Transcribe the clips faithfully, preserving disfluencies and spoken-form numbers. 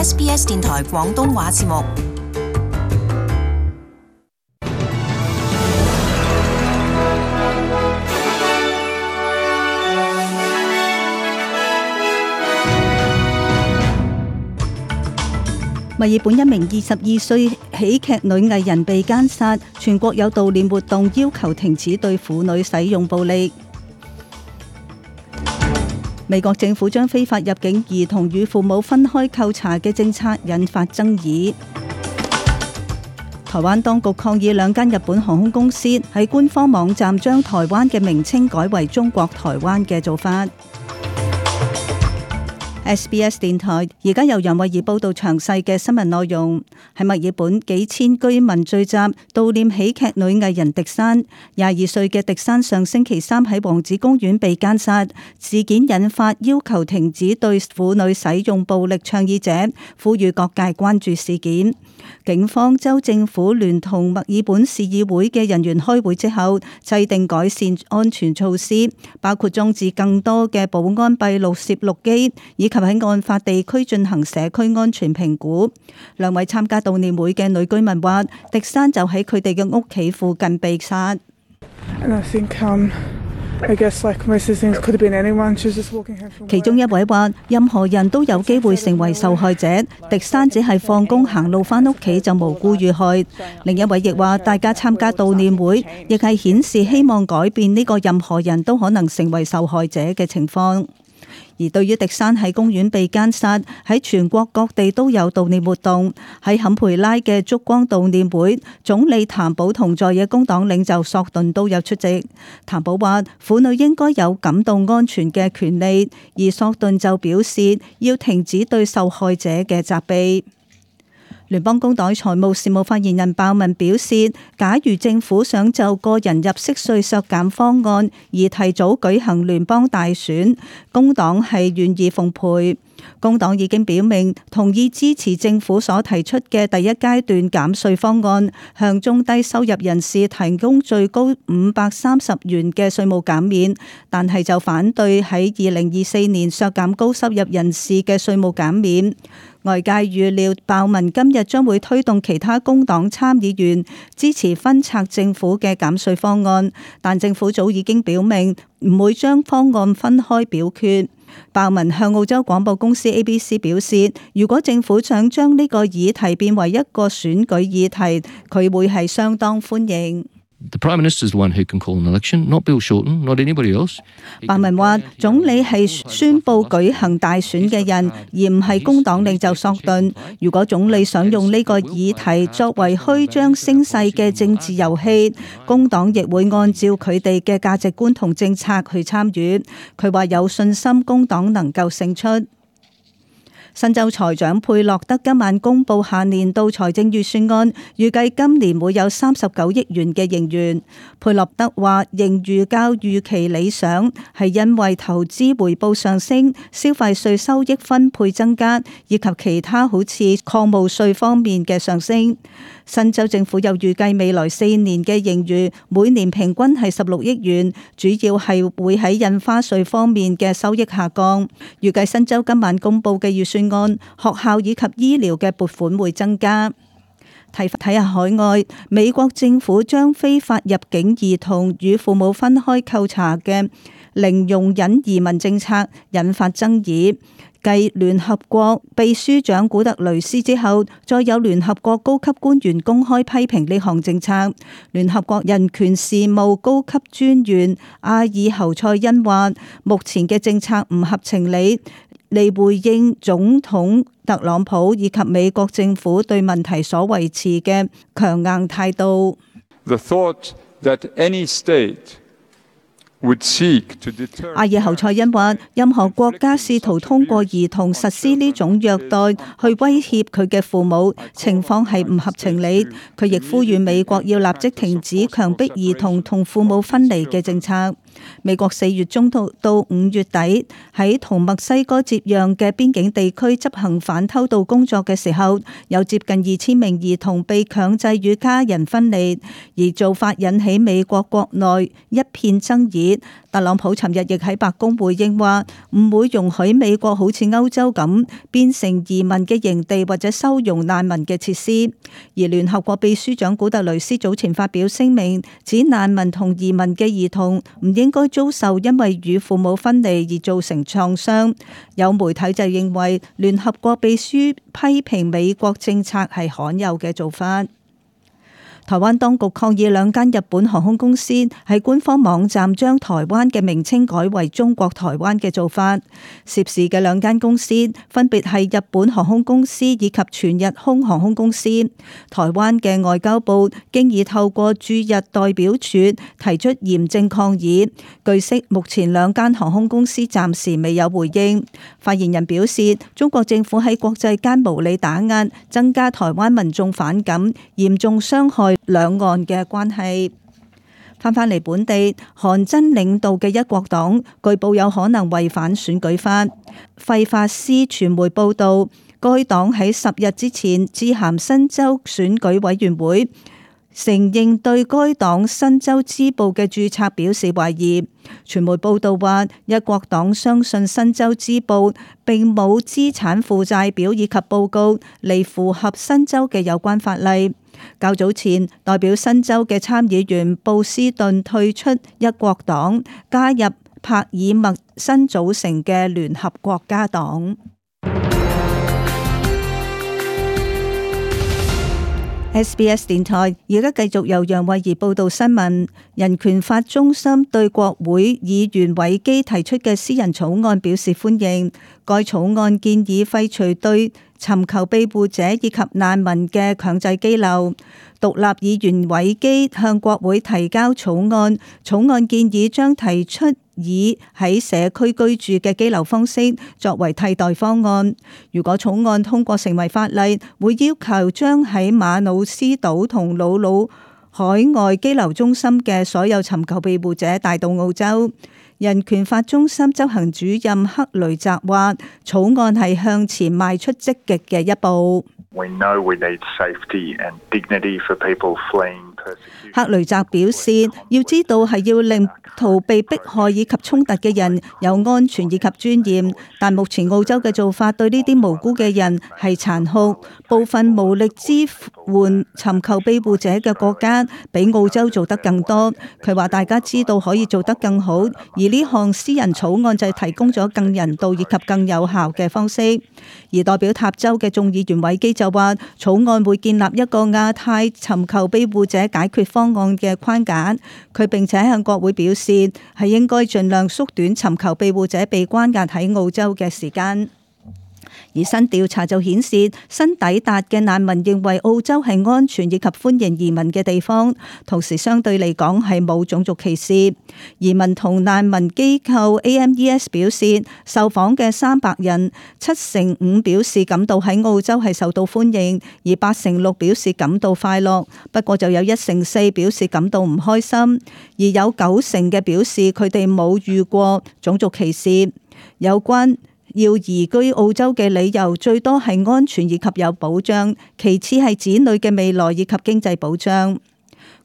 S B S 電台廣東話節目。墨爾本一名二十二歲喜劇女藝人被姦殺，全國有悼念活動要求停止對婦女使用暴力。美國政府將非法入境兒童與父母分開扣查嘅政策引發爭議。台灣當局抗議兩間日本航空公司喺官方網站將台灣嘅名稱改為中國台灣嘅做法。S B S 電台而家由楊慧儀報道詳細嘅新聞內容。喺墨爾本，幾千居民聚集悼念喜劇女藝人迪珊。廿二歲嘅迪珊上星期三喺王子公園被姦殺，事件引發要求停止對婦女使用暴力倡議者，呼籲各界關注事件。警方、州政府聯同墨爾本市議會嘅人員開會之後，制定改善安全措施，包括裝置更多嘅保安閉路攝錄機，以及喺案發地區進行社區安全評估。兩位參加悼念會嘅女居民話，迪珊就喺佢哋嘅屋企附近被殺。其中一位話，任何人都有機會成為受害者，迪珊只係放工行路返屋企就無辜遇害。另一位亦話，大家參加悼念會亦係顯示希望改變呢個任何人都可能成為受害者嘅情況。而對於迪珊喺公園被姦殺，喺全國各地都有悼念活動。喺坎培拉嘅燭光悼念會，總理譚寶同在野工黨領袖索頓都有出席。譚寶話，婦女應該有感到安全嘅權利，而索頓就表示要停止對受害者嘅責備。聯邦工黨財務事務發言人鮑文表示，假如政府想就個人入息稅削減方案而提早舉行聯邦大選，工黨係願意奉陪。工黨已經表明同意支持政府所提出嘅第一階段減稅方案，向中低收入人士提供最高五百三十元嘅稅務減免，但係就反對喺二零二四年削減高收入人士嘅稅務減免。外界預料鮑文今日將會推動其他工黨參議員支持分拆政府嘅減稅方案，但政府早已經表明唔會將方案分開表決。鮑文向澳洲廣播公司 A B C 表示，如果政府想將呢個議題變為一個選舉議題，佢會係相當歡迎。The Prime Minister is the one who can call an election, not Bill Shorten, not anybody else. 鮑文話，總理係宣佈舉行大選嘅人，而唔係工黨領袖索頓。如果總理想用呢個議題作為虛張聲勢嘅政治遊戲，工黨亦會按照佢哋嘅價值觀同政策去參與。佢話有信心工黨能夠勝出。新州財長佩洛德今晚公布下年度財政預算案，預計今年會有三十九億元嘅盈餘。佩洛德話，盈餘較預期理想，係因為投資回報上升、消費稅收益分配增加，以及其他好似礦務稅方面嘅上升。新州政府又預計未來四年嘅盈餘每年平均係十六億元，主要係會喺印花稅方面嘅收益下降。預計新州今晚公布嘅預算案，學校以及醫療嘅撥款會增加。睇睇下海外，美國政府將非法入境兒童與父母分開扣查嘅零容忍移民政策引發爭議。繼聯合國秘書長古特雷斯之後，再有聯合國高級官員公開批評呢項政策。聯合國人權事務高級專員阿爾侯賽因話，目前嘅政策唔合情理，嚟回應總統特朗普以及美國政府對問題所維持嘅強硬態度。The thought that any state阿爾侯賽因話，任何國家試圖通過兒童實施呢種虐待去威脅佢嘅父母，情況係唔合情理。佢亦呼籲美國要立即停止強迫兒童同父母分離嘅政策。美國四月中到到五月底喺同墨西哥接壤嘅邊境地區執行反偷渡工作嘅時候，有接近二千名兒童被強制與家人分離，而做法引起美國國內一片爭議。特朗普尋日亦喺白宮回應話，唔會容許美國好似歐洲咁變成移民嘅營地或者收容難民嘅設施。而聯合國秘書長古特雷斯早前發表聲明，指難民同移民嘅兒童唔應該遭受因為與父母分離而造成創傷。有媒體就認為聯合國秘書批評美國政策係罕有嘅做法。台灣當局抗議兩間日本航空公司喺官方網站將台灣嘅名稱改為中國台灣嘅做法。涉事嘅兩間公司分別係日本航空公司以及全日空航空公司。台灣嘅外交部經已透過駐日代表處提出嚴正抗議。據悉，目前兩間航空公司暫時未有回應。發言人表示，中國政府喺國際間無理打壓，增加台灣民眾反感，嚴重傷害兩岸嘅關係。翻返嚟本地，韓真領導嘅一國黨據報有可能違反選舉法。費法斯傳媒報道，該黨喺十日之前致函新州選舉委員會，承認對該黨新州支部嘅註冊表示懷疑。傳媒報道話，一國黨相信新州支部並冇資產負債表以及報告嚟符合新州嘅有關法例。較早前，代表新州嘅參議員布斯頓退出一國黨，加入帕爾默新組成嘅聯合國家黨。S B S 電台而家繼續由楊慧儀報道新聞。人權法中心對國會議員韋基提出嘅私人草案表示歡迎。該草案建議廢除對尋求庇護者以及難民嘅強制羈留。獨立議員韋基向國會提交草案，草案建議將提出以喺社區居住嘅羈留方式作為替代方案。如果草案通過成為法例，會要求將喺馬努斯島同魯魯海外羈留中心嘅所有尋求庇護者帶到澳洲。人權法中心執行主任克雷澤話，草案係向前邁出積極嘅一步。We know we need safety and dignity for people fleeing persecution. 克雷澤表示，要知道係要令逃避迫害以及衝突嘅人有安全以及尊嚴，但目前澳洲嘅做法對呢啲無辜嘅人係殘酷。部分無力支援尋求庇護者嘅國家比澳洲做得更多。佢話大家知道可以做得更好，而呢項私人草案就係提供咗更人道以及更有效嘅方式。而代表塔州嘅眾議員韋基就話，草案會建立一個亞太尋求庇護者解決方案嘅框架。佢並且向國會表示，係應該盡量縮短尋求庇護者被關押喺澳洲嘅時間。而新調查就顯示，新抵達嘅難民認為澳洲係安全以及歡迎移民嘅地方，同時相對嚟講係冇種族歧視。移民同難民機構 A M E S 表示，受訪嘅三百人，七成五表示感到喺澳洲係受到歡迎，而八成六表示感到快樂。不過就有一成四表示感到唔開心，而有九成嘅表示佢哋冇遇過種族歧視。有關要移居澳洲嘅理由最多係安全以及有保障，其次係子女嘅未來以及經濟保障。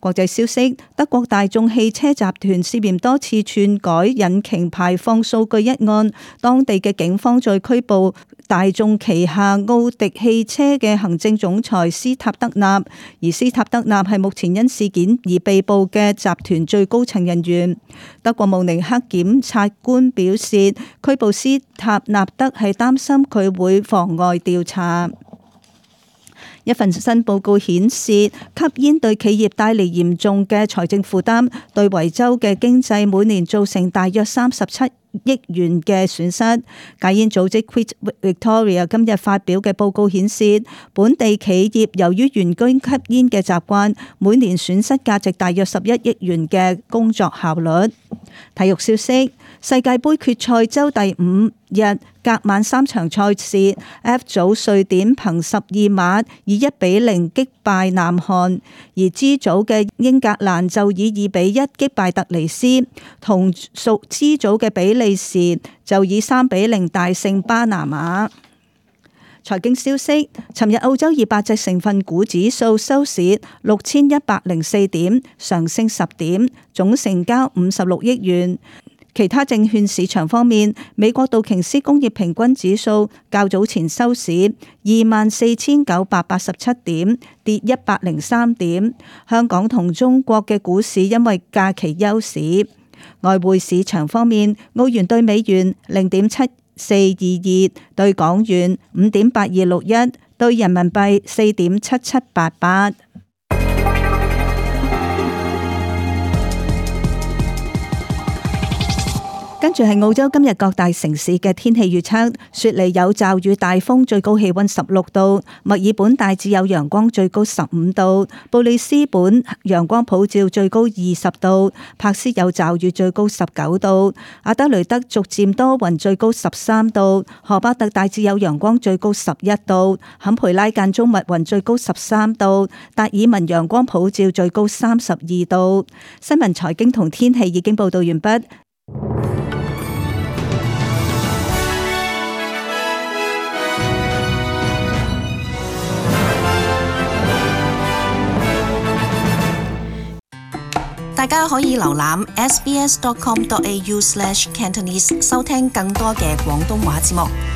國際消息，德國大眾汽車集團涉嫌多次篡改引擎排放數據一案，當地嘅警方在拘捕大眾旗下奧迪汽車嘅行政總裁斯塔德納，而斯塔德納係目前因事件而被捕嘅集團最高層人員。德國慕尼黑檢察官表示，拘捕斯塔納德係擔心佢會妨礙調查。一份新報告顯示，吸煙對企業帶嚟嚴重嘅財政負擔，對維州嘅經濟每年造成大約三十七億元嘅損失。戒煙組織 Quit Victoria 今日發表嘅報告顯示，本地企業由於員工吸煙嘅習慣，每年損失價值大約十一億元嘅工作效率。體育消息，世界盃決賽周第五日隔晚三場賽事 ，F 組瑞典憑十二碼以一比零擊敗南韓，而 G 組嘅英格蘭就以二比一擊敗突尼斯，同屬 G 組嘅比利時就以三比零大勝巴拿馬。財經消息，尋日澳洲二百隻成分股指數收市六千一百零四點，上升十點，總成交五十六億元。其他證券市場方面，美國道瓊斯工業平均指數較早前收市二萬四千九百八十七點，跌一百零三點。香港同中國嘅股市因為假期休市。外匯市場方面，澳元對美元零點七四二二，對港元五點八二六一，對人民幣四點七七八八。跟住係澳洲今日各大城市嘅天氣預測：雪梨有驟雨大風，最高氣溫十六度；墨爾本大致有陽光，最高十五度；布里斯本陽光普照，最高二十度；柏斯有驟雨，最高十九度；阿德雷德逐漸多雲，最高十三度；荷巴特大致有陽光，最高十一度；坎培拉間中密雲，最高十三度；達爾文陽光普照，最高三十二度。新聞財經同天氣已經報道完畢。大家可以瀏覽 s b s dot com dot a u slash cantonese 收聽更多嘅廣東話節目。